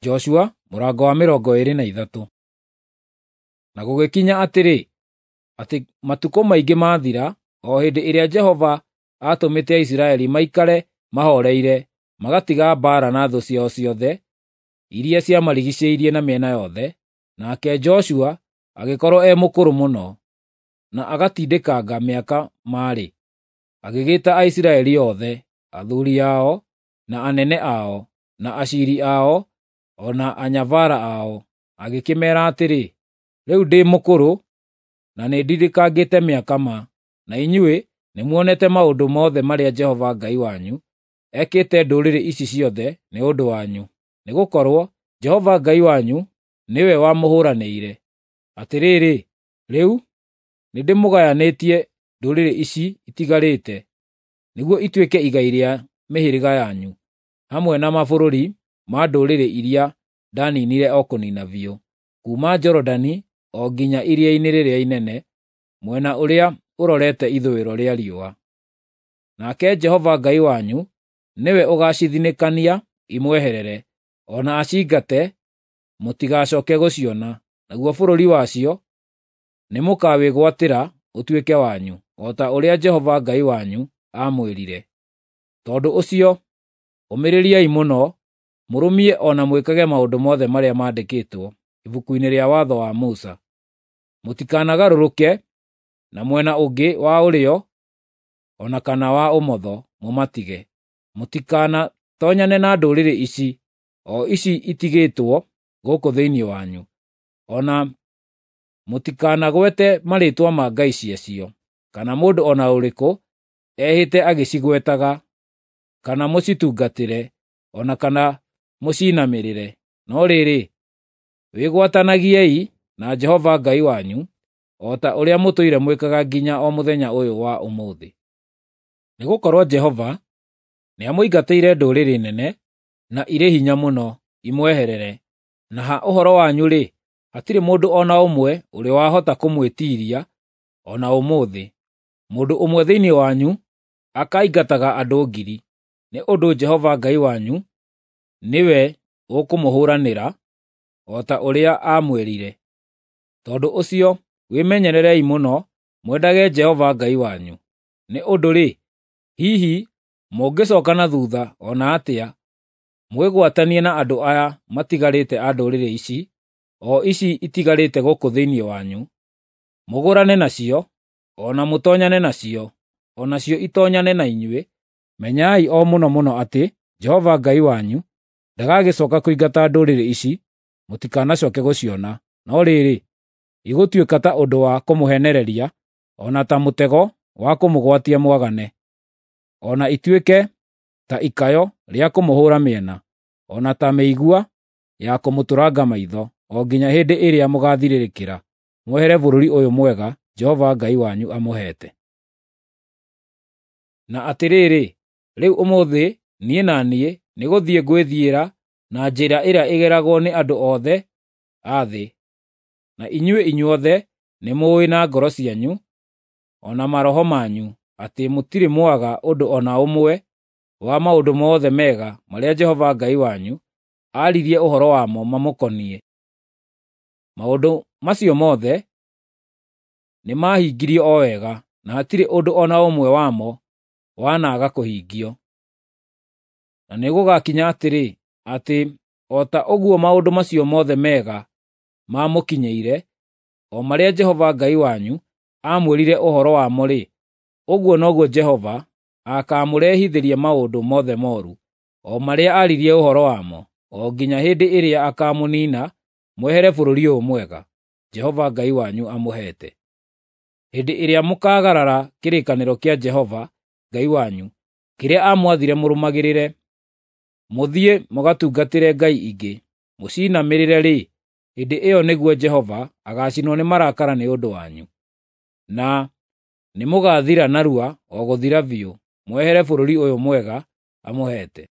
Joshua mũrango wa 23. Na gũgĩkinya atĩrĩ, atĩ matukũ maingĩ maathira, o hĩndĩ ĩrĩa Jehova aatũmĩte Aisiraeli maikare mahooreire, magatiga mbaara na thũ ciao ciothe iria ciamarigicĩirie na mĩena yothe, nake Joshua agĩkorwo e mũkũrũ mũno, na agatindĩkanga mĩaka maarĩ, agĩgĩta Aisiraeli othe, athuri ao, na anene ao, na aciiri ao, o na anyabara ao, agĩkĩmeera atĩrĩ, “Rĩu ndĩ mũkũrũ na nĩndindĩkangĩte mĩaka ma, na inyuĩ nĩmuonete maũndũ mothe marĩa Jehova Ngai wanyu ekĩte ndũrĩrĩ ici ciothe nĩ ũndũ wanyu, nĩgũkorwo Jehova Ngai wanyu nĩwe wamũhũũranĩire. Atĩrĩrĩ, rĩu nĩndĩmũgayanĩtie ndũrĩrĩ ici itigarĩte nĩguo ituĩke igai rĩa mĩhĩrĩga yanyu, hamwe na mabũrũri ma ndũrĩrĩ iria ndaninire o kũniina biũ, kuuma Jorodani o nginya iria-inĩ rĩrĩa inene, mwena ũrĩa ũrorete ithũĩro rĩa riũa. Nake Jehova Ngai wanyu nĩwe ũgaacithinĩkania imweherere, o na acingate mũtigacooke gũciona, naguo bũrũri wacio nĩmũkawĩgwatĩra ũtuĩke wanyu, o ta ũrĩa Jehova Ngai wanyu aamwĩrire. Tondũ ũcio, ũmĩrĩriai mũno, mũrũmie o na mwĩkage maũndũ mothe marĩa maandĩkĩtwo ibuku-inĩ rĩa watho wa Musa. Mũtikanagarũrũke na mwena ũngĩ wa ũrĩo o na kana wa ũmotho mũmatige. Mũtikanatonyane na ndũrĩrĩ ici, o ici itigĩtwo gũkũ thĩinĩ wanyu, o na mũtikanagwete marĩĩtwa ma ngai ciacio, kana mũndũ o na ũrĩkũ ehĩte agĩcigwetaga, kana mũcitungatĩre, o na kana mũcinamĩrĩre. No rĩrĩ, wĩgwatanagiei na Jehova Ngai wanyu, o ta ũrĩa mũtũire mwĩkaga nginya o mũthenya ũyũ wa ũmũthĩ. Nĩgũkorwo Jehova nĩamũingatĩire ndũrĩrĩ nene na irĩ hinya mũno imweherere, na ha ũhoro wanyu-rĩ, hatirĩ mũndũ o na ũmwe ũrĩ wahota kũmwĩtiiria o na ũmũthĩ. Mũndũ ũmwe thĩinĩ wanyu akaingataga andũ 1,000, nĩ ũndũ Jehova Ngai wanyu nĩwe ũkũmũhũũranĩra, o ta ũrĩa aamwĩrire. Tondũ ũcio wĩmenyererei mũno mwendage Jehova Ngai wanyu. Nĩ ũndũ-rĩ, hihi mũngĩcooka na thuutha o na atĩa, mwĩgwatanie na andũ aya matigarĩte a ndũrĩrĩ ici, o ici itigarĩte gũkũ thĩinĩ wanyu, mũgũrane nacio, o na mũtoonyane nacio, o nacio itoonyane na inyuĩ, menyai o mũno mũno atĩ Jehova Ngai wanyu ndagagĩcooka kũingata ndũrĩrĩ ici mũtikanacooke gũciona, no rĩrĩ, igũtuĩka ta ũndũ wa kũmũheenereria, o na ta mũtego wa kũmũgwatia mwagane, o na ituĩke ta ikayo rĩa kũmũhũũra mĩena, o na ta mĩigua ya kũmũtũranga maitho, o nginya hĩndĩ ĩrĩa mũgaathirĩrĩkĩra mwehere bũrũri ũyũ mwega Jehova Ngai wanyu amũheete. Na atĩrĩrĩ, rĩu ũmũthĩ niĩ na niĩ nĩgũthiĩ ngwĩthiĩra na njĩra ĩrĩa ĩgeragwo nĩ andũ othe a thĩ, na inyuĩ inyuothe nĩmũũĩ na ngoro cianyu o na maroho manyu atĩ mũtirĩ mwaga ũndũ o na ũmwe wa maũndũ mothe mega marĩa Jehova Ngai wanyu aaririe ũhoro wamo mamũkoniĩ. Maũndũ macio mothe nĩmahingirio o wega, na hatirĩ ũndũ o na ũmwe wamo wanaaga kũhingio. Na nĩgũgakinya atĩrĩ, atĩ o ta ũguo maũndũ macio mothe mega maamũkinyĩire, o marĩa Jehova Ngai wanyu aamwĩrire ũhoro wamo-rĩ, ũguo noguo Jehova akaamũrehithĩria maũndũ mothe mooru, o marĩa aaririe ũhoro wamo, o nginya hĩndĩ ĩrĩa akaamũniina mwehere bũrũri ũyũ mwega Jehova Ngai wanyu amũheete. Hĩndĩ ĩrĩa mũkaagarara kĩrĩkanĩro kĩa Jehova Ngai wanyu, kĩrĩa aamwathire mũrũmagĩrĩre, mũthiĩ mũgatungatĩre ngai ingĩ, mũcinamĩrĩre-rĩ, hĩndĩ ĩyo nĩguo Jehova agaacinwo nĩ marakara nĩ ũndũ wanyu, na nĩmũgathira narua o gũthira biũ, mwehere bũrũri ũyũ mwega amũheete.